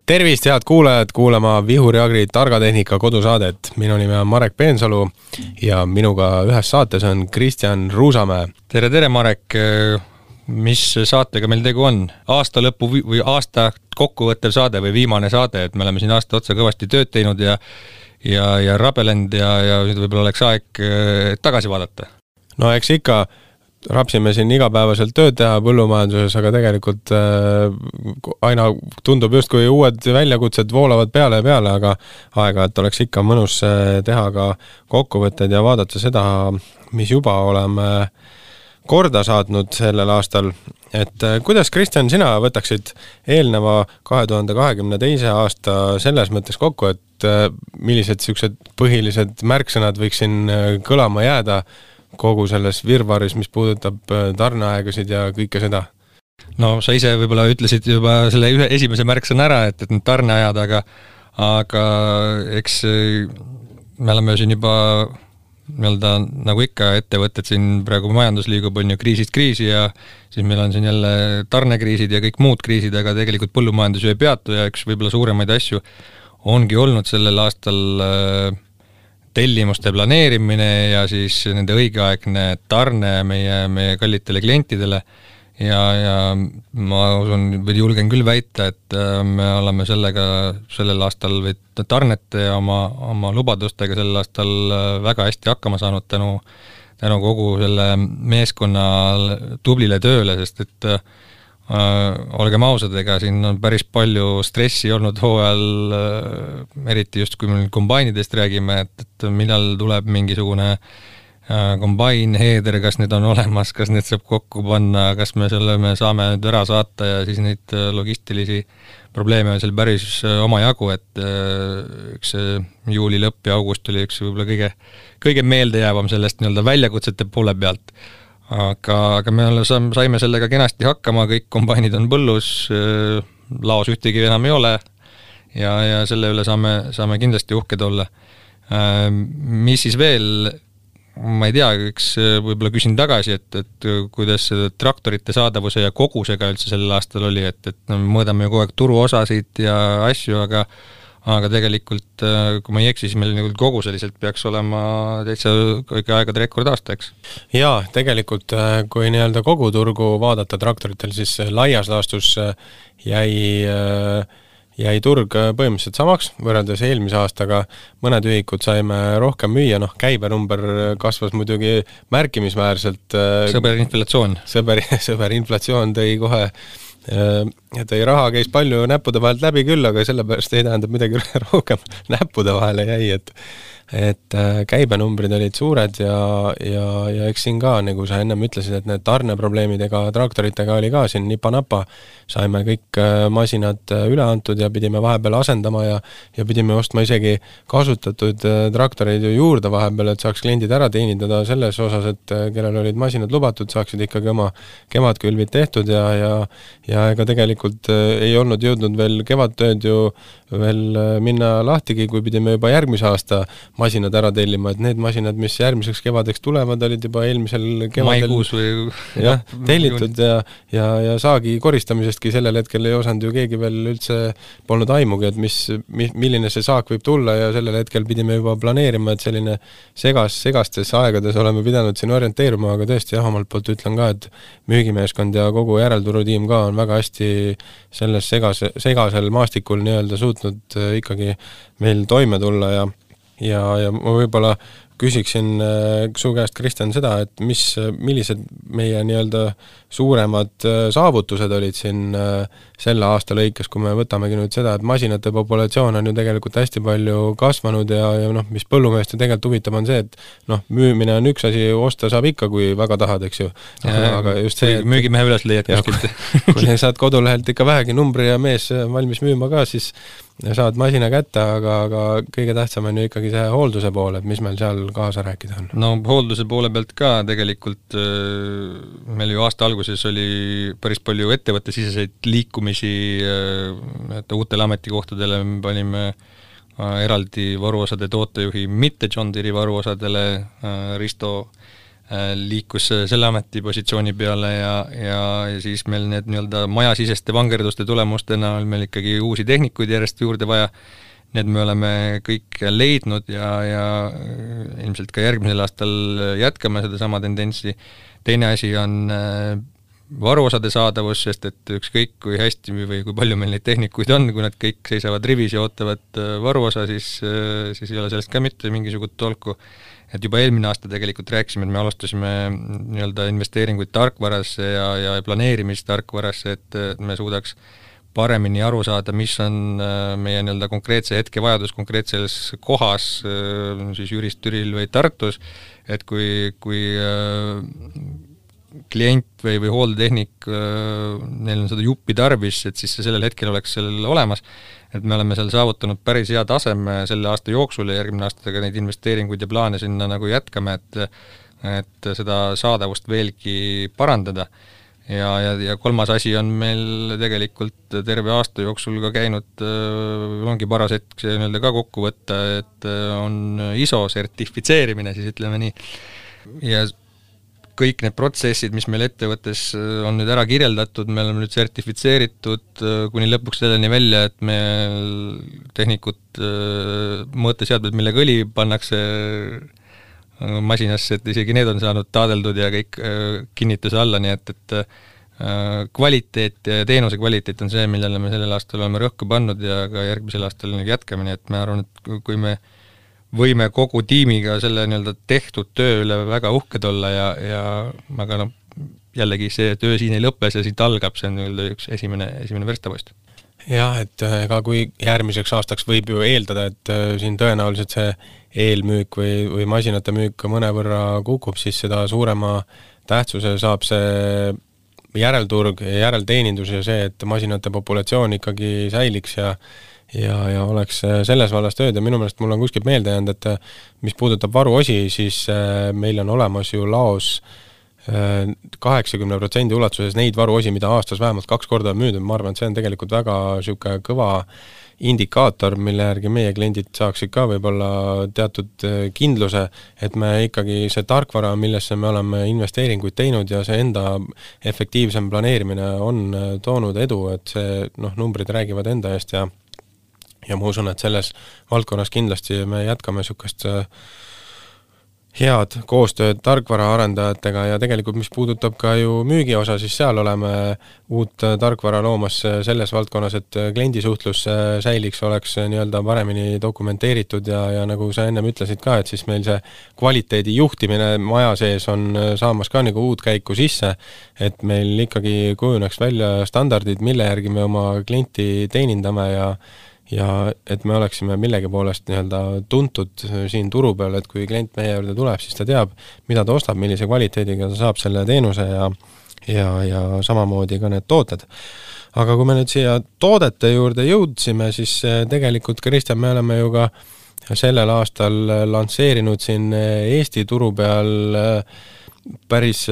Tervist, head kuulajad, kuulama Vihuri Agri targatehnika kodusaadet. Minu nimi on Marek Peensalu ja minuga ühes saates on Kristjan Ruusamäe. Tere, Marek. Mis saatega meil tegu on? Aasta lõpu või aasta kokkuvõttev saade või viimane saade, et me oleme siin aasta otsa kõvasti tööd teinud ja rabelend ja nüüd võib-olla oleks aeg tagasi vaadata. No eks ikka rapsime siin igapäevaselt tööd teha põllumajanduses, aga tegelikult aina tundub justkui uued väljakutsed voolavad peale, aga aeg-ajalt oleks ikka mõnus teha ka kokkuvõtted ja vaadata seda, mis juba oleme korda saatnud sellel aastal. Et kuidas, Kristjan, sina võtaksid eelneva 2022. aasta selles mõttes kokku, et millised sellised põhilised märksõnad võiks siin kõlama jääda kogu selles virvaris, mis puudutab tarneaegasid ja kõike seda? No sa ise võib-olla ütlesid juba selle esimese märksõna ära, et need tarneajad, aga eks me oleme siin juba nagu ikka ettevõtted siin praegu majandus liigub on ju kriisist kriisi ja siis meil on siin jälle tarnekriisid ja kõik muud kriisid, aga tegelikult põllumajandus ju ei peatu ja üks võib-olla suuremaid asju ongi olnud sellel aastal tellimuste planeerimine ja siis nende õigeaegne tarne meie kallitele klientidele ja ma usun, või julgen küll väita, et me oleme sellel aastal või tarnete ja oma lubadustega sellel aastal väga hästi hakkama saanud tänu kogu selle meeskonna tublile tööle, sest et olgem ausad, ega siin on päris palju stressi olnud hooajal, eriti just kui me kombainidest räägime, et millal tuleb mingisugune kombain, heeder, kas need on olemas, kas need saab kokku panna, kas me saame nüüd ära saata ja siis neid logistilisi probleeme on seal päris omajagu, et üks juuli lõpp ja august oli üks võib-olla kõige meeldejäävam sellest nii-öelda väljakutsete poole pealt. Aga me saime sellega kenasti hakkama, kõik kombainid on põllus, laos ühtegi enam ei ole ja selle üle saame kindlasti uhked olla. Mis siis veel, ma ei tea, eks võib-olla küsin tagasi, et kuidas traktorite saadavuse ja kogusega üldse sellel aastal oli, et mõõdame kogu aeg turuosasid ja asju, aga tegelikult, kui ma ei eksi, siis meil koguseliselt peaks olema täitsa kõige aegade rekordaasta, eks? Jaa, tegelikult kui nii-öelda kogu turgu vaadata traktoritel, siis laias laastus jäi turg põhimõtteliselt samaks, võrreldes eelmise aastaga mõned ühikud saime rohkem müüa, käibenumber kasvas muidugi märkimisväärselt. Sõber inflatsioon tõi kohe tõi raha käis palju näppude vahelt läbi küll, aga sellepärast ei tähendab midagi rohkem näppude vahele jäi, et käibenumbrid olid suured ja eks siin ka, nagu sa ennem ütlesid, et need tarneprobleemidega traktoritega oli ka siin nipa-napa, saime kõik masinad üle antud ja pidime vahepeal asendama ja pidime ostma isegi kasutatud traktoreid ju juurde vahepeal, et saaks kliendid ära teenindada selles osas, et kellel olid masinad lubatud, saaksid ikkagi oma kevadkülvid tehtud ja ega tegelikult ei olnud jõudnud veel kevadtööd ju veel minna lahtigi, kui pidime juba järgmise aasta masinad ära tellima, et need masinad, mis järgmiseks kevadeks tulevad, olid juba eelmisel kevadel maikuus või tellitud ja saagi koristamisestki sellel hetkel ei osanud ju keegi veel üldse polnud aimugi, et milline see saak võib tulla ja sellel hetkel pidime juba planeerima, et selline segastes aegades oleme pidanud siin orienteeruma, aga tõesti omalt poolt ütlen ka, et müügimeeskond ja kogu järelturutiim ka on väga hästi selles segasel maastikul nii-öelda suutnud ikkagi meil toime tulla ja ma võib-olla küsiksin su käest, Kristjan, seda, et millised meie nii-öelda suuremad saavutused olid siin selle aasta lõikes, kui me võtamegi nüüd seda, et masinate populatsioon on ju tegelikult hästi palju kasvanud ja mis põllumeeste tegelikult huvitab on see, et müümine on üks asi, osta saab ikka, kui väga tahad, eks ju. Aga just see, müügimehe üles leiad kuskilt. Kui saad kodulehelt ikka vähegi numbri ja mees valmis müüma ka, siis saad masina kätte, aga kõige tähtsam on ju ikkagi see hoolduse pool, et mis meil seal kaasa rääkida on. No hoolduse poole pealt ka tegelikult meil ju aasta alguses oli päris palju ettevõttesiseseid liikumisi, et uutele ametikohtadele me panime eraldi varuosade tootejuhi mitte John Deere varuosadele, Risto liikus selle ametipositsiooni peale ja siis meil need nii-öelda majasiseste vangerduste tulemustena on meil ikkagi uusi tehnikuid järjest juurde vaja. Need me oleme kõik leidnud ja ilmselt ka järgmisel aastal jätkame seda sama tendentsi. Teine asi on varuosade saadavus, sest et ükskõik kui hästi või kui palju meil neid tehnikuid on, kui nad kõik seisavad rivis ja ootavad varuosa, siis ei ole sellest ka mitte mingisugust tolku. Et juba eelmine aasta tegelikult rääkisime, et me alustasime nii-öelda investeeringuid tarkvarasse ja planeerimist tarkvarasse, et me suudaks paremini aru saada, mis on meie nii-öelda konkreetse hetke vajadus konkreetses kohas, siis Jüris, Türil või Tartus, et kui klient või hooldetehnik, neil on seda juppi tarvis, et siis sellel hetkel oleks sellel olemas, et me oleme seal saavutanud päris hea taseme selle aasta jooksul ja järgmine aastaga neid investeeringuid ja plaane sinna nagu jätkame, et seda saadavust veelgi parandada. Ja kolmas asi on meil tegelikult terve aasta jooksul ka käinud, ongi paras hetk see nii-öelda ka kokku võtta, et on ISO sertifitseerimine, siis ütleme nii. Ja kõik need protsessid, mis meil ettevõttes on nüüd ära kirjeldatud, me oleme nüüd sertifitseeritud kuni lõpuks selleni välja, et meil tehnikud mõõteseadmed, millega õli pannakse masinasse, et isegi need on saanud taadeldud ja kõik kinnituse alla, nii et kvaliteet ja teenuse kvaliteet on see, millele me sellel aastal oleme rõhku pannud ja ka järgmisel aastal jätkame, nii et ma arvan, et kui me võime kogu tiimiga selle nii-öelda tehtud töö üle väga uhked olla aga jällegi see töö siin ei lõppe, see siit algab, see on nii-öelda üks esimene verstapost. Jah, et ega kui järgmiseks aastaks võib ju eeldada, et siin tõenäoliselt see eelmüük või masinate müük ka mõnevõrra kukub, siis seda suurema tähtsuse saab see järelturg ja järelteenindus ja see, et masinate populatsioon ikkagi säiliks ja oleks selles vallas tööd ja minu meelest mul on kuskilt meelde jäänud, et mis puudutab varuosi, siis meil on olemas ju laos 80% ulatuses neid varuosi, mida aastas vähemalt 2 korda on müüdud, ma arvan, et see on tegelikult väga süke kõva indikaator, mille järgi meie kliendid saaksid ka võib-olla teatud kindluse, et me ikkagi see tarkvara, millesse me oleme investeeringuid teinud ja see enda efektiivsem planeerimine on toonud edu, et see numbrid räägivad enda eest ja ma usun, et selles valdkonnas kindlasti me jätkame sükest head koostööd tarkvara arendajatega ja tegelikult mis puudutab ka ju müügi osa, siis seal oleme uut tarkvara loomas selles valdkonnas, et kliendisuhtlus säiliks, oleks nii-öelda paremini dokumenteeritud ja nagu sa ennem ütlesid ka, et siis meil see kvaliteedi juhtimine maja sees on saamas ka nagu uut käiku sisse, et meil ikkagi kujuneks välja standardid, mille järgi me oma klienti teenindame ja et me oleksime millegi poolest nii-öelda tuntud siin turu peal, et kui klient meie juurde tuleb, siis ta teab, mida ta ostab, millise kvaliteediga ta saab selle teenuse ja samamoodi ka need tooted. Aga kui me nüüd siia toodete juurde jõudsime, siis tegelikult, Kristjan, me oleme ju ka sellel aastal lansseerinud siin Eesti turu peal päris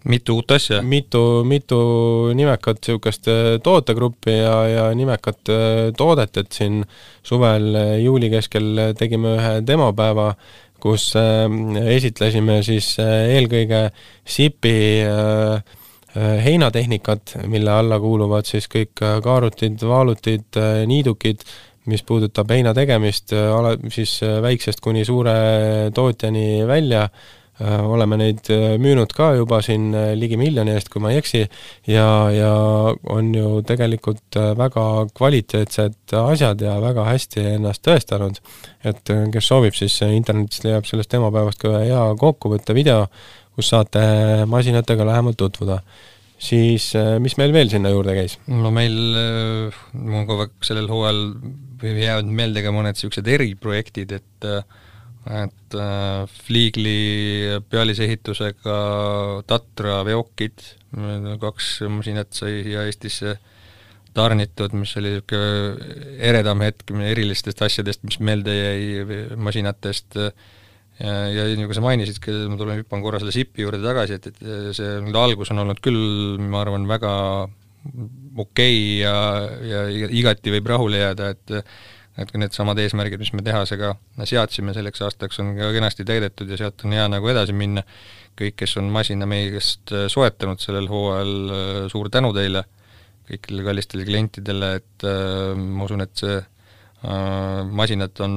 mitu uut asja. Mitu nimekat sihukest tootegruppi ja nimekat toodet, et siin suvel juuli keskel tegime ühe demopäeva, kus esitlesime siis eelkõige SIP-i heinatehnikat, mille alla kuuluvad siis kõik kaarutid, vaalutid, niidukid, mis puudutab heina tegemist siis väiksest kuni suure tootjani välja. Oleme neid müünud ka juba siin ligi 1 miljoni eest, kui ma ei eksi, ja on ju tegelikult väga kvaliteetsed asjad ja väga hästi ennast tõestanud, et kes soovib, siis internetist leiab sellest demopäevast ka hea kokkuvõtte video, kus saate masinatega lähemalt tutvuda. Siis mis meil veel sinna juurde käis? No meil mul kogu aeg sellel hooajal jäävad meelde ka mõned sellised eriprojektid, et Fliegli pealisehitusega Tatra veokid, 2 masinat sai siia Eestisse tarnitud, mis oli eredam hetk erilistest asjadest, mis meelde jäi masinatest ja nagu sa mainisid, ma hüppan korra selle SIP-i juurde tagasi, et see algus on olnud küll, ma arvan, väga okei ja igati võib rahule jääda, et et kui need samad eesmärgid, mis me tehasega seadsime selleks aastaks, on ka kenasti täidetud ja sealt on hea nagu edasi minna. Kõik, kes on masina meie käest soetanud sellel hooajal, suur tänu teile, kõikidele kallistele klientidele, et ma usun, et see masinad on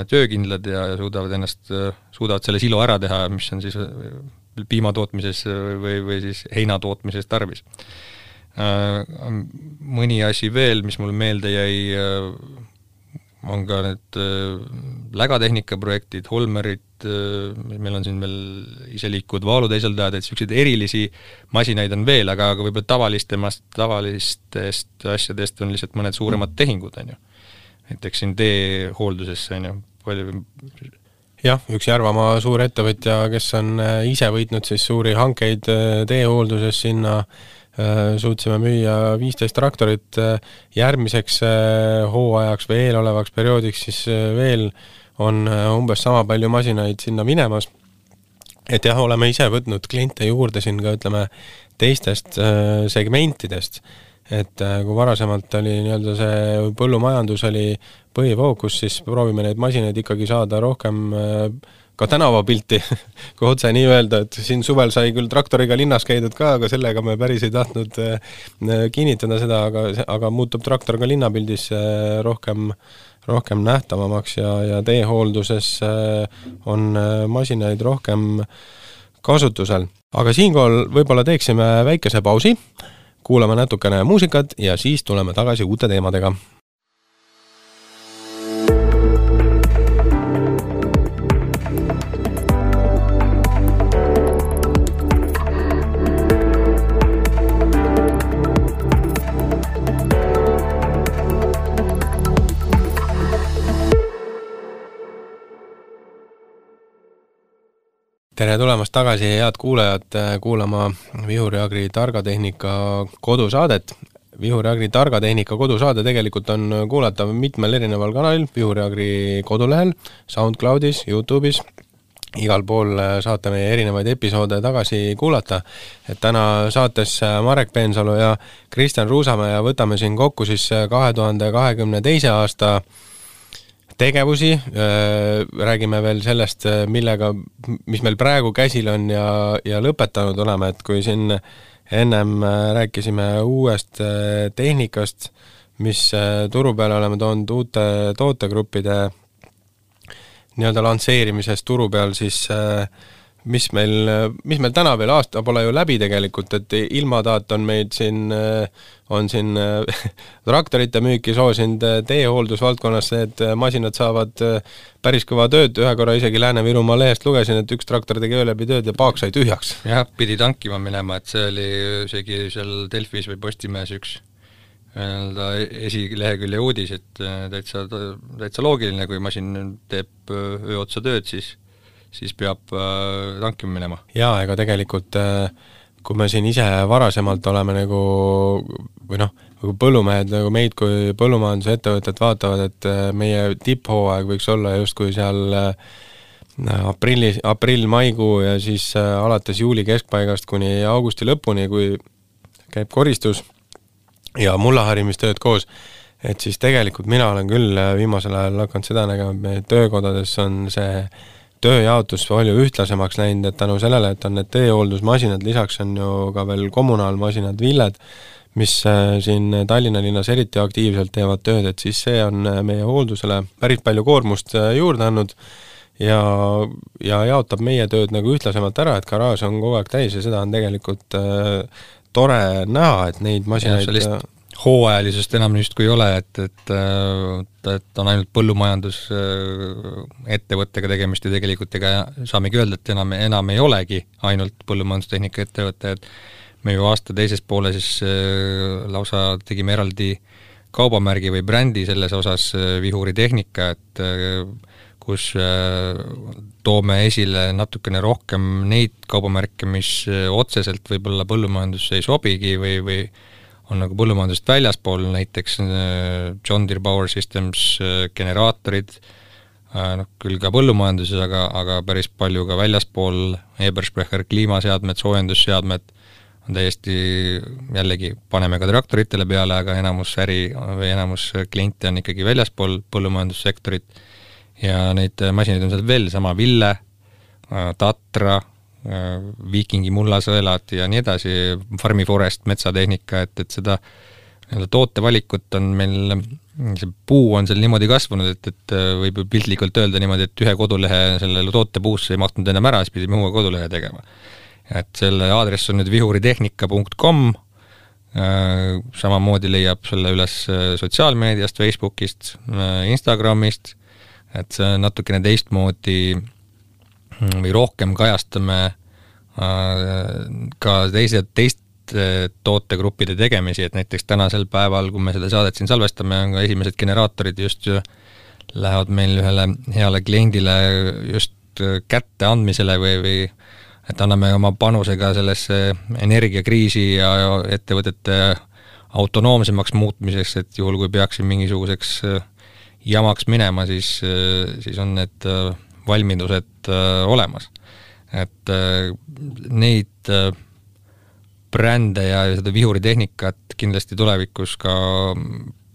töökindlad ja suudavad selle silo ära teha, mis on siis piimatootmises või siis heinatootmises tarvis. Mõni asi veel, mis mul meelde jäi, on ka need lägatehnika projektid, Holmerid, meil on siin veel iseliikuvad vaaluteisaldajad, et selliseid erilisi masinaid on veel, aga võib-olla tavalistest asjadest on lihtsalt mõned suuremad tehingud, on ju. Näiteks siin teehooldusesse, on ju, palju. Jah, üks Järvamaa suur ettevõtja, kes on ise võitnud siis suuri hankeid teehoolduses sinna, suutsime müüa 15 traktorit, järgmiseks hooajaks või eelolevaks perioodiks siis veel on umbes sama palju masinaid sinna minemas. Et jah, oleme ise võtnud kliente juurde siin ka, ütleme, teistest segmentidest, et kui varasemalt oli nii-öelda see põllumajandus oli põhifookus, siis proovime neid masinaid ikkagi saada rohkem ka tänavapilti, kui otse nii öelda, et siin suvel sai küll traktoriga linnas käidud ka, aga sellega me päris ei tahtnud kinnitada seda, aga muutub traktor ka linnapildis rohkem nähtavamaks ja teehoolduses on masinaid rohkem kasutusel. Aga siinkohal võib-olla teeksime väikese pausi, kuulame natukene muusikat ja siis tuleme tagasi uute teemadega. Tere tulemast tagasi, head kuulajad, kuulama Vihuri Agri targatehnika kodusaadet. Vihuri Agri targatehnika kodusaade tegelikult on kuulatav mitmel erineval kanalil, Vihuri Agri kodulehel, SoundCloudis, YouTube'is. Igal pool saate meie erinevaid episoode tagasi kuulata. Et täna saates Marek Peensalu ja Kristjan Ruusamäe ja võtame siin kokku siis 2022. aasta tegevusi, räägime veel sellest, mis meil praegu käsil on ja lõpetanud oleme, et kui siin ennem rääkisime uuest tehnikast, mis turu peale oleme toonud uute tootegruppide nii-öelda lansseerimisest turu peal, siis mis meil täna veel aasta pole ju läbi tegelikult, et ilmadaat on meid on siin traktorite müüki soosinud teehooldusvaldkonnas, et masinad saavad päris kõva tööd, ühe korra isegi Lääne-Virumaa lehest lugesin, et üks traktor tegi öö läbi tööd ja paak sai tühjaks. Jah, pidi tankima minema, et see oli isegi seal Delfis või Postimees üks esilehekülje uudis, et täitsa loogiline, kui masin teeb öö otsa tööd, siis peab tankima minema. Jaa, ega tegelikult kui me siin ise varasemalt oleme või põllumehed meid kui põllumajanduse ettevõtted vaatavad, et meie tipphooaeg võiks olla justkui seal aprill-maikuu ja siis alates juuli keskpaigast kuni augusti lõpuni, kui käib koristus ja mullaharimistööd koos, et siis tegelikult mina olen küll viimasel ajal hakanud seda nägema, et meie töökodades on see tööjaotus palju ühtlasemaks läinud, et tänu sellele, et on need teehooldusmasinad, lisaks on ju ka veel kommunaalmasinad, villed, mis siin Tallinna linnas eriti aktiivselt teevad tööd, et siis see on meie hooldusele päris palju koormust juurde andnud ja jaotab meie tööd nagu ühtlasemalt ära, et garaaž on kogu aeg täis ja seda on tegelikult tore näha, et neid masinaid hooajalisest enam justkui ei ole, et on ainult põllumajandus ettevõttega tegemist ja tegelikult ega saamegi öelda, et enam ei olegi ainult põllumajandustehnika ettevõte, et me ju aasta teises poole siis lausa tegime eraldi kaubamärgi või brändi selles osas Vihuri tehnika, et kus toome esile natukene rohkem neid kaubamärke, mis otseselt võib-olla põllumajandusse ei sobigi või on nagu põllumajandusest väljaspool, näiteks John Deere Power Systems generaatorid, küll ka põllumajanduses, aga päris palju ka väljaspool, Ebersprecher kliimaseadmed, soojendusseadmed, on täiesti, jällegi paneme ka traktoritele peale, aga enamus äri või enamus kliente on ikkagi väljaspool põllumajandussektorit ja neid masinaid on seal veel, sama Ville, Tatra, Viikingi mullasõelad ja nii edasi, Farmi Forest, metsatehnika, et seda tootevalikut on meil, see puu on seal niimoodi kasvanud, et võib piltlikult öelda niimoodi, et ühe kodulehe sellele tootepuusse ei mahtunud enam ära, siis pidime uue kodulehe tegema. Et selle aadress on nüüd vihuritehnika.com, samamoodi leiab selle üles sotsiaalmeediast, Facebookist, Instagramist, et see natukene teistmoodi või rohkem kajastame ka teist tootegruppide tegemisi, et näiteks tänasel päeval, kui me seda saadet siin salvestame, on ka esimesed generaatorid just lähevad meil ühele heale kliendile just kätte andmisele või et anname oma panusega sellesse energiakriisi ja ettevõtete autonoomsemaks muutmiseks, et juhul kui peaksin mingisuguseks jamaks minema, siis on need valmidused olemas. Et neid brände ja seda vihuritehnikat kindlasti tulevikus ka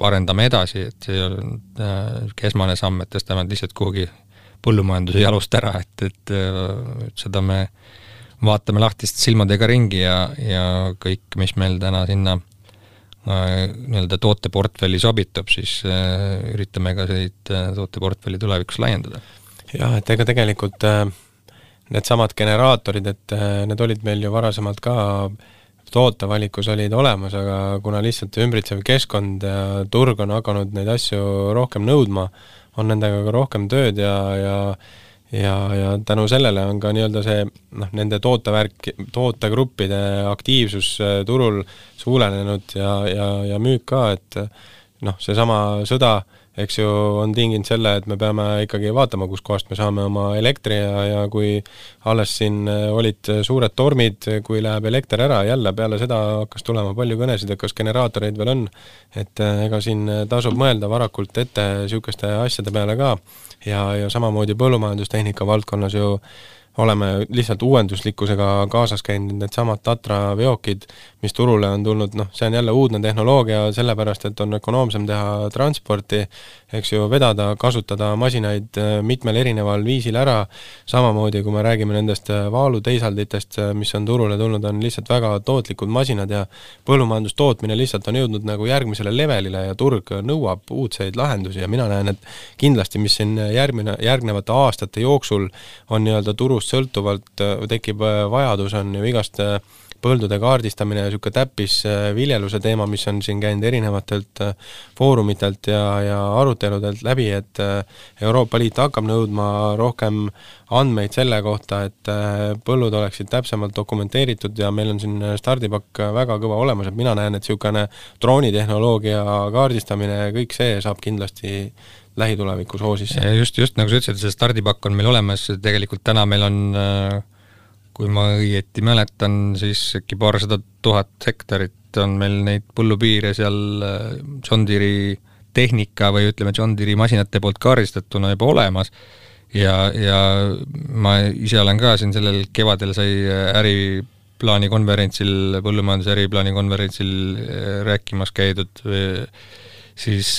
arendame edasi, et see on esmane samm, et tõstame lihtsalt kuhugi põllumajanduse jalust ära, et seda me vaatame lahtist silmadega ringi ja kõik, mis meil täna sinna nii-öelda tooteportfelli sobitub, siis üritame ka neid tooteportfelli tulevikus laiendada. Jah, et ega tegelikult need samad generaatorid, et need olid meil ju varasemalt ka tootevalikus olid olemas, aga kuna lihtsalt ümbritsev keskkond ja turg on hakanud neid asju rohkem nõudma, on nendega ka rohkem tööd ja tänu sellele on ka nii-öelda see nende tootegruppide aktiivsus turul suurenenud ja müük ka, et see sama sõda, eks ju, on tinginud selle, et me peame ikkagi vaatama, kus kohast me saame oma elektri ja kui alles siin olid suured tormid, kui läheb elekter ära, jälle peale seda hakkas tulema palju kõnesid, et kas generaatoreid veel on, et ega siin tasub mõelda varakult ette sükeste asjade peale ka ja samamoodi põllumajandustehnika valdkonnas ju oleme lihtsalt uuenduslikkusega kaasas käinud need samad Tatra veokid, mis turule on tulnud, see on jälle uudne tehnoloogia sellepärast, et on ökonoomsem teha transporti, eks ju, vedada, kasutada masinaid mitmel erineval viisil ära, samamoodi kui me räägime nendest vaaluteisalditest, mis on turule tulnud, on lihtsalt väga tootlikud masinad ja põllumajandustootmine lihtsalt on jõudnud nagu järgmisele levelile ja turg nõuab uudseid lahendusi ja mina näen, et kindlasti, mis siin järgnevate aastate jooksul on nii-öelda turust sõltuvalt tekib vajadus, on ju igast põldude kaardistamine ja niisugune täppis viljeluse teema, mis on siin käinud erinevatelt foorumitelt ja aruteludelt läbi, et Euroopa Liit hakkab nõudma rohkem andmeid selle kohta, et põllud oleksid täpsemalt dokumenteeritud ja meil on siin stardipakk väga kõva olemas, et mina näen, et niisugune droonitehnoloogia kaardistamine ja kõik see saab kindlasti lähitulevikus hoosisse. Just nagu sa ütlesid, see stardipakk on meil olemas, tegelikult täna meil on, kui ma õieti mäletan, siis äkki 200 000 hektarit on meil neid põllupiire seal John Deere tehnika või ütleme John Deere masinate poolt kaardistatuna juba olemas ja ma ise olen ka siin sellel kevadel sai äriplaani konverentsil, põllumajanduse äriplaani konverentsil rääkimas käidud, siis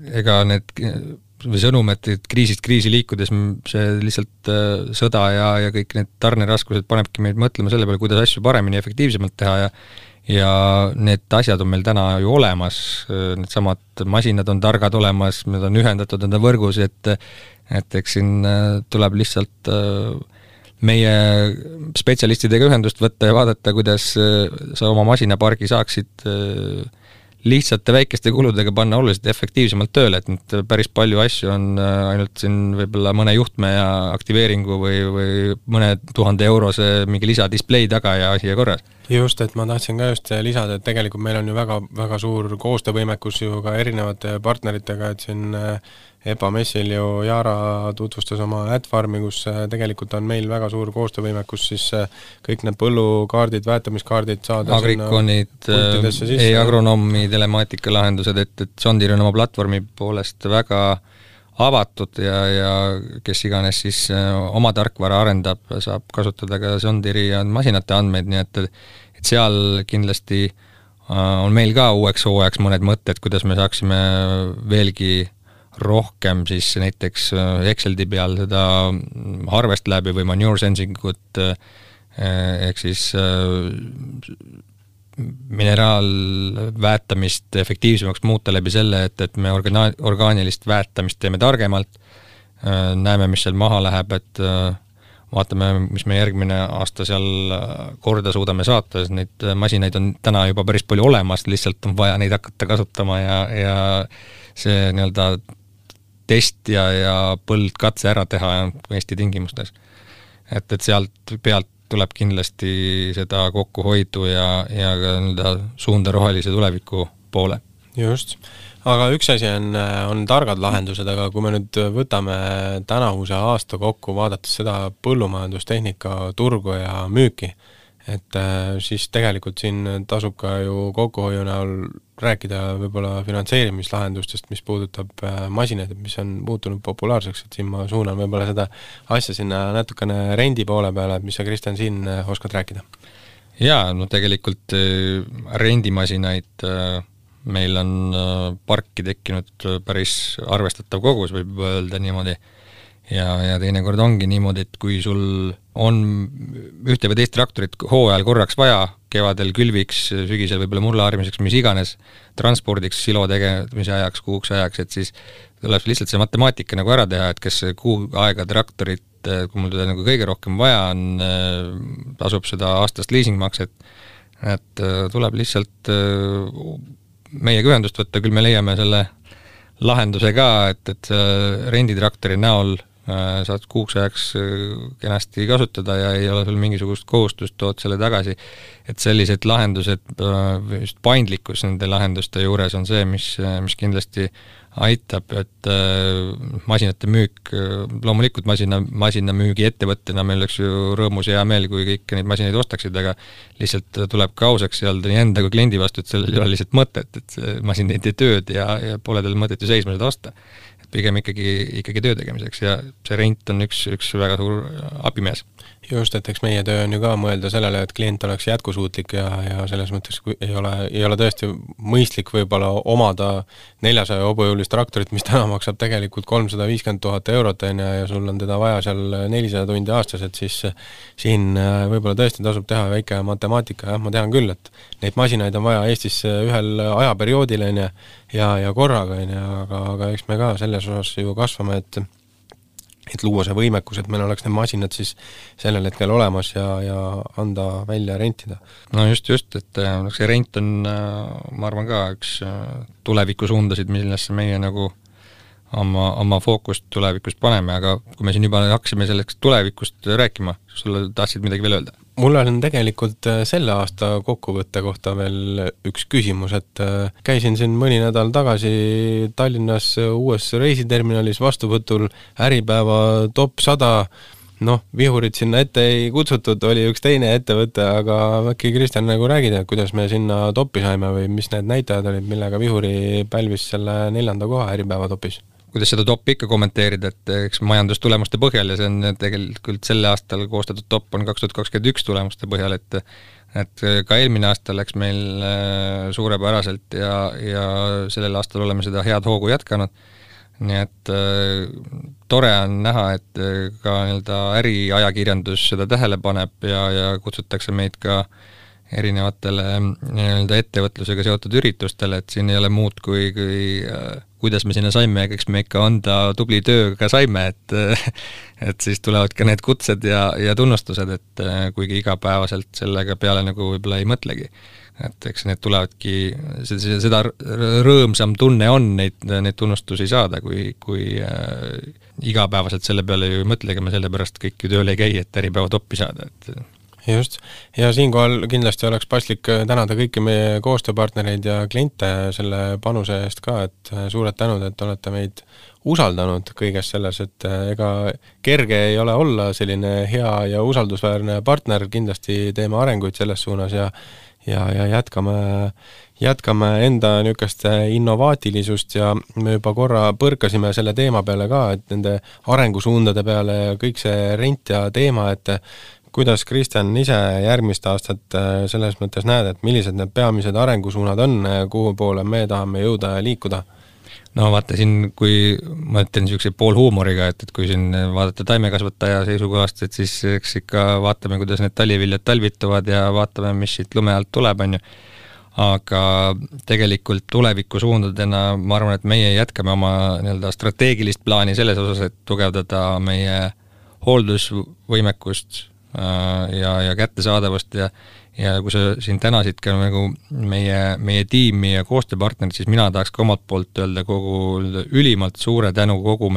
ega need või sõnum, et kriisist kriisi liikudes see lihtsalt sõda ja kõik need tarneraskused panebki meid mõtlema selle peale, kuidas asju paremini ja efektiivsemalt teha ja need asjad on meil täna ju olemas, need samad masinad on targad olemas, need on ühendatud enda võrgus, et eks siin tuleb lihtsalt meie spetsialistidega ühendust võtta ja vaadata, kuidas sa oma masinapargi saaksid lihtsate väikeste kuludega panna oluliselt efektiivsemalt tööle, et nüüd päris palju asju on ainult siin võib-olla mõne juhtme ja aktiveeringu või mõne 1000 eurose mingi lisadisplay taga ja asi ja korras. Just, et ma tahtsin ka just lisada, et tegelikult meil on ju väga, väga suur koostöövõimekus ju ka erinevate partneritega, et siin EPA messil ju Jaara tutvustas oma AdFarmi, kus tegelikult on meil väga suur koostöövõimekus, siis kõik need põllukaardid, väetamiskaardid saada Agriconid, e-agronoomi telemaatika lahendused, et John Deere on oma platvormi poolest väga avatud ja kes iganes siis oma tarkvara arendab, saab kasutada ka John Deere'i ja masinate andmeid, nii et seal kindlasti on meil ka uueks hooajaks mõned mõtted, kuidas me saaksime veelgi rohkem siis näiteks Exceldi peal seda Harvest Labi või Manure Sensing ut ehk siis mineraalväetamist efektiivsemaks muuta läbi selle, et me orgaanilist väetamist teeme targemalt, näeme, mis seal maha läheb, et vaatame, mis me järgmine aasta seal korda suudame saata, sest neid masinaid on täna juba päris palju olemas, lihtsalt on vaja neid hakata kasutama ja see nii-öelda test ja põldkatse ära teha Eesti tingimustes. Et sealt pealt tuleb kindlasti seda kokkuhoidu ja ka nii-öelda suunda rohelise tuleviku poole. Just. Aga üks asi on targad lahendused, aga kui me nüüd võtame tänavuse aasta kokku, vaadates seda põllumajandustehnika turgu ja müüki, et siis tegelikult siin tasub ka ju kokkuhoiu näol rääkida võib-olla finantseerimislahendustest, mis puudutab masinaid, mis on muutunud populaarseks, et siin ma suunan võib-olla seda asja sinna natukene rendi poole peale, et mis sa, Kristjan, siin oskad rääkida? Jaa, no tegelikult rendimasinaid meil on parki tekkinud päris arvestatav kogus, võib öelda niimoodi. Ja teinekord ongi niimoodi, et kui sul on ühte või teist traktorit hooajal korraks vaja, kevadel külviks, sügisel võib-olla mulla harmiseks, mis iganes, transpordiks, silo tegemise ajaks, kuuks ajaks, et siis tuleb lihtsalt see matemaatika nagu ära teha, et kes kuu aega traktorit, kui mul teda nagu kõige rohkem vaja on, tasub seda aastast leasingmakset, et tuleb lihtsalt meiega ühendust võtta, küll me leiame selle lahenduse ka, et renditraktori näol saad kuuks ajaks kenasti kasutada ja ei ole sul mingisugust kohustust, tood selle tagasi. Et sellised lahendused, just paindlikkus nende lahenduste juures on see, mis kindlasti aitab, et masinate müük, loomulikult masina müügi ettevõttena meil oleks ju rõõmus ja hea meel, kui kõik neid masinaid ostaksid, aga lihtsalt tuleb ka ausaks öelda nii enda kui kliendi vastu, et sellel ei ole lihtsalt mõtet, et masin ei tee tööd ja pole tal mõtet ju seisma seda osta. Pigem ikkagi töö tegemiseks ja see rent on üks väga suur abimees. Just, et eks meie töö on ju ka mõelda sellele, et klient oleks jätkusuutlik ja selles mõttes kui ei ole tõesti mõistlik võib-olla omada 400 hobujõulist traktorit, mis täna maksab tegelikult 350 000 eurot ja sul on teda vaja seal 400 tundi aastas, et siis siin võib-olla tõesti tasub teha väike matemaatika, jah, ma tean küll, et neid masinaid on vaja Eestis ühel ajaperioodil ja korraga, aga eks me ka selles osas ju kasvame, et luua see võimekus, et meil oleks need masinad siis sellel hetkel olemas ja anda välja rentida. No just, et see rent on, ma arvan ka üks tulevikusuundasid, millesse meie nagu oma fookust tulevikust paneme, aga kui me siin juba hakkasime selleks tulevikust rääkima, sulle tahtsid midagi veel öelda? Mul on tegelikult selle aasta kokkuvõtte kohta veel üks küsimus, et käisin siin mõni nädal tagasi Tallinnas uues reisiterminalis vastuvõtul Äripäeva top 100, vihurid sinna ette ei kutsutud, oli üks teine ettevõte, aga äkki Kristjan nagu räägid, et kuidas me sinna topi saime või mis need näitajad olid, millega vihuri pälvis selle 4. koha Äripäeva topis? Kuidas seda topi ikka kommenteerida, et eks majandustulemuste põhjal ja see on tegelikult selle aastal koostatud top on 2021 tulemuste põhjal, et ka eelmine aasta läks meil suurepäraselt ja sellel aastal oleme seda head hoogu jätkanud. Nii et tore on näha, et ka nii-öelda äriajakirjandus seda tähele paneb ja kutsutakse meid ka erinevatele nii-öelda ettevõtlusega seotud üritustele, et siin ei ole muud kui kuidas me sinna saime ja eks me ikka anda tubli tööga saime, et siis tulevad ka need kutsed ja tunnustused, et kuigi igapäevaselt sellega peale nagu võib-olla ei mõtlegi. Et eks need tulevadki, seda rõõmsam tunne on neid tunnustusi saada, kui igapäevaselt selle peale ju mõtlegi, me selle pärast kõik ju tööle ei käi, et Äripäeva toppi saada, et Just, ja siinkohal kindlasti oleks paslik tänada kõiki meie koostööpartnereid ja kliente selle panuse eest ka, et suured tänud, et olete meid usaldanud kõiges selles, et ega kerge ei ole olla selline hea ja usaldusväärne partner, kindlasti teeme arenguid selles suunas ja jätkame enda niisugust innovaatilisust ja me juba korra põrkasime selle teema peale ka, et nende arengusuundade peale ja kõik see rent ja teema, et kuidas, Kristjan, ise järgmist aastat selles mõttes näed, et millised need peamised arengusuunad on, kuhu poole me tahame jõuda ja liikuda? No vaata siin, kui ma ütlen niisuguse poolhuumoriga, et kui siin vaadata taimekasvataja seisukohast, et siis eks ikka vaatame, kuidas need taliviljad talvituvad ja vaatame, mis siit lume alt tuleb, on ju. Aga tegelikult tulevikusuundadena ma arvan, et meie jätkame oma nii-öelda strateegilist plaani selles osas, et tugevdada meie hooldusvõimekust ja kättesaadavust ja kui sa siin tänasid ka nagu meie tiimi ja koostööpartnerid, siis mina tahaks ka omalt poolt öelda kogu ülimalt suure tänu kogu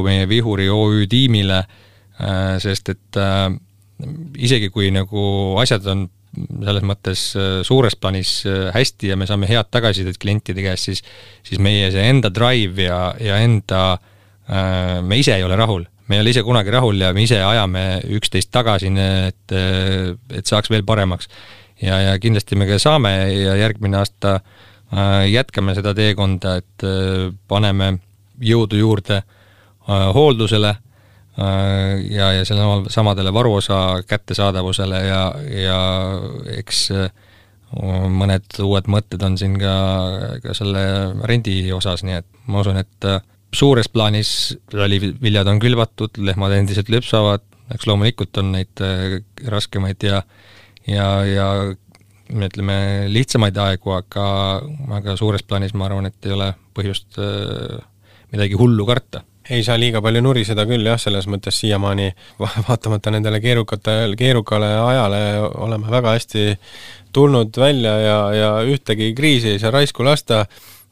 meie Vihuri OÜ tiimile, sest et isegi kui nagu asjad on selles mõttes suures plaanis hästi ja me saame head tagasisidet klientide käest, siis meie see enda drive ja enda me ise ei ole rahul. Me ei ole ise kunagi rahul ja me ise ajame üksteist tagasi, et saaks veel paremaks. Ja kindlasti me ka saame ja järgmine aasta jätkame seda teekonda, et paneme jõudu juurde hooldusele ja selle samadele varuosa kättesaadavusele ja eks mõned uued mõtted on siin ka selle rendi osas, nii et ma usun, et suures plaanis taliviljad on külvatud, lehmad endiselt lüpsavad, eks loomulikult on neid raskemaid ja ütleme lihtsamaid aegu, aga suures plaanis ma arvan, et ei ole põhjust midagi hullu karta. Ei saa liiga palju nuriseda küll, jah, selles mõttes siiamaani vaatamata nendele keerukale ajale oleme väga hästi tulnud välja ja ühtegi kriisi ei saa raisku lasta.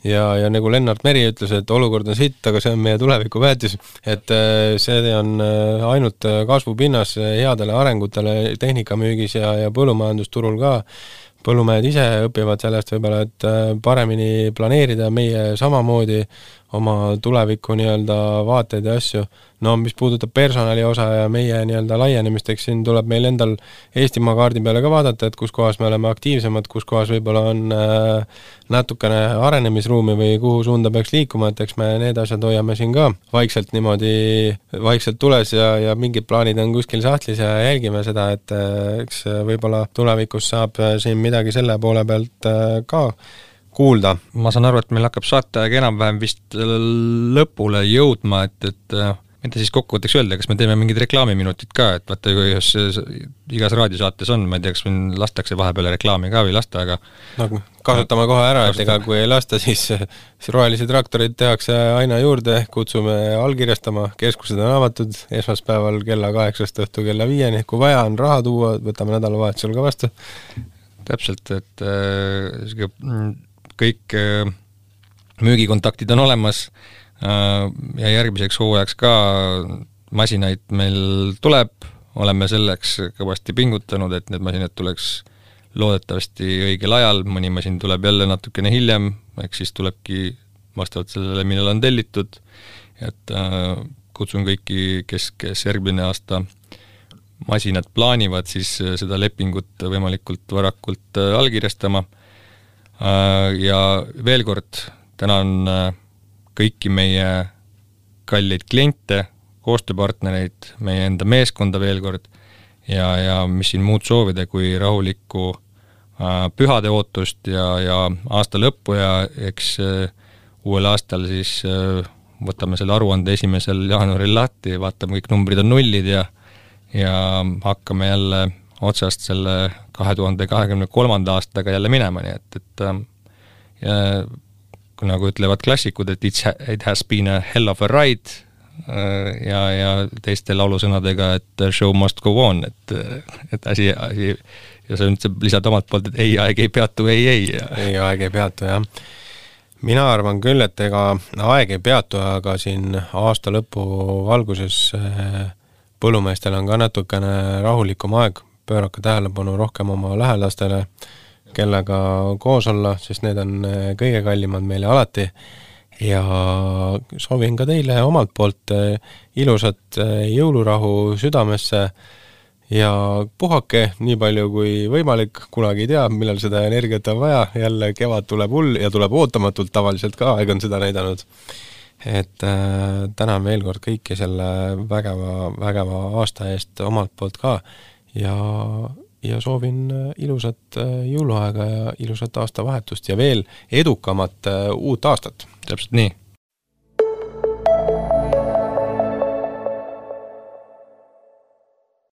Ja nagu Lennart Meri ütles, et olukord on sitt, aga see on meie tuleviku väetis, et see on ainult kasvupinnas headele arengutele tehnikamüügis ja põllumajandusturul ka. Põllumehed ise õpivad sellest võib-olla, et paremini planeerida meie samamoodi oma tuleviku nii-öelda vaateid ja asju. No mis puudutab personali osa ja meie nii-öelda laienemisteks, siin tuleb meil endal Eestimaa kaardi peale ka vaadata, et kus kohas me oleme aktiivsemad, kus kohas võib-olla on natukene arenemisruumi või kuhu suunda peaks liikuma, et eks me need asjad hoiame siin ka vaikselt tules ja mingid plaanid on kuskil sahtlis ja jälgime seda, et eks võib-olla tulevikus saab siin midagi selle poole pealt ka kuulda. Ma saan aru, et meil hakkab saateaeg enam-vähem vist lõpule jõudma, et mida siis kokkuvõtteks öelda, kas me teeme mingid reklaamiminutid ka, et vaata, kui igas raadiosaates on, ma ei tea, kas meil lastakse vahepeale reklaami ka või lasta, aga no, kasutame kohe ära, et ega kui ei lasta, siis rohelisi traktorid tehakse aina juurde, kutsume allkirjastama, keskused on avatud esmaspäeval kella 8 õhtu kella 5, kui vaja on raha tuua, võtame nädalavahetusel ka vastu. Täpselt, et kõik müügikontaktid on olemas ja järgmiseks hooajaks ka masinaid meil tuleb, oleme selleks kõvasti pingutanud, et need masinad tuleks loodetavasti õigel ajal, mõni masin tuleb jälle natukene hiljem, eks siis tulebki vastavalt sellele, millal on tellitud, et kutsun kõiki, kes järgmine aasta masinad plaanivad, siis seda lepingut võimalikult varakult allkirjastama. Ja veel kord tänan kõiki meie kalleid kliente, koostööpartnereid, meie enda meeskonda veel kord ja mis siin muud soovida kui rahulikku pühade ootust ja aasta lõppu ja eks uuel aastal siis võtame selle aruande 1. jaanuaril lahti, vaatame, kõik numbrid on nullid ja hakkame jälle otsast selle 2023. aastaga jälle minema, nii et nagu ütlevad klassikud, et it has been a hell of a ride ja teiste laulusõnadega, et show must go on, et asi ja sa nüüd lisad omalt poolt, et ei, aeg ei peatu, ei. Ei, aeg ei peatu, jah. Mina arvan küll, et ega aeg ei peatu, aga siin aasta lõpu valguses põllumeestel on ka natukene rahulikum aeg, pöörake tähelepanu rohkem oma lähedastele, kellega koos olla, sest need on kõige kallimad meile alati ja soovin ka teile omalt poolt ilusat jõulurahu südamesse ja puhake nii palju kui võimalik, kunagi ei tea, millal seda energiat on vaja, jälle kevad tuleb hull ja tuleb ootamatult tavaliselt ka, aeg on seda näidanud. Et tänan veel kord kõiki selle vägeva aasta eest omalt poolt ka ja soovin ilusat jõuluaega ja ilusat aastavahetust ja veel edukamat uut aastat. Täpselt nii.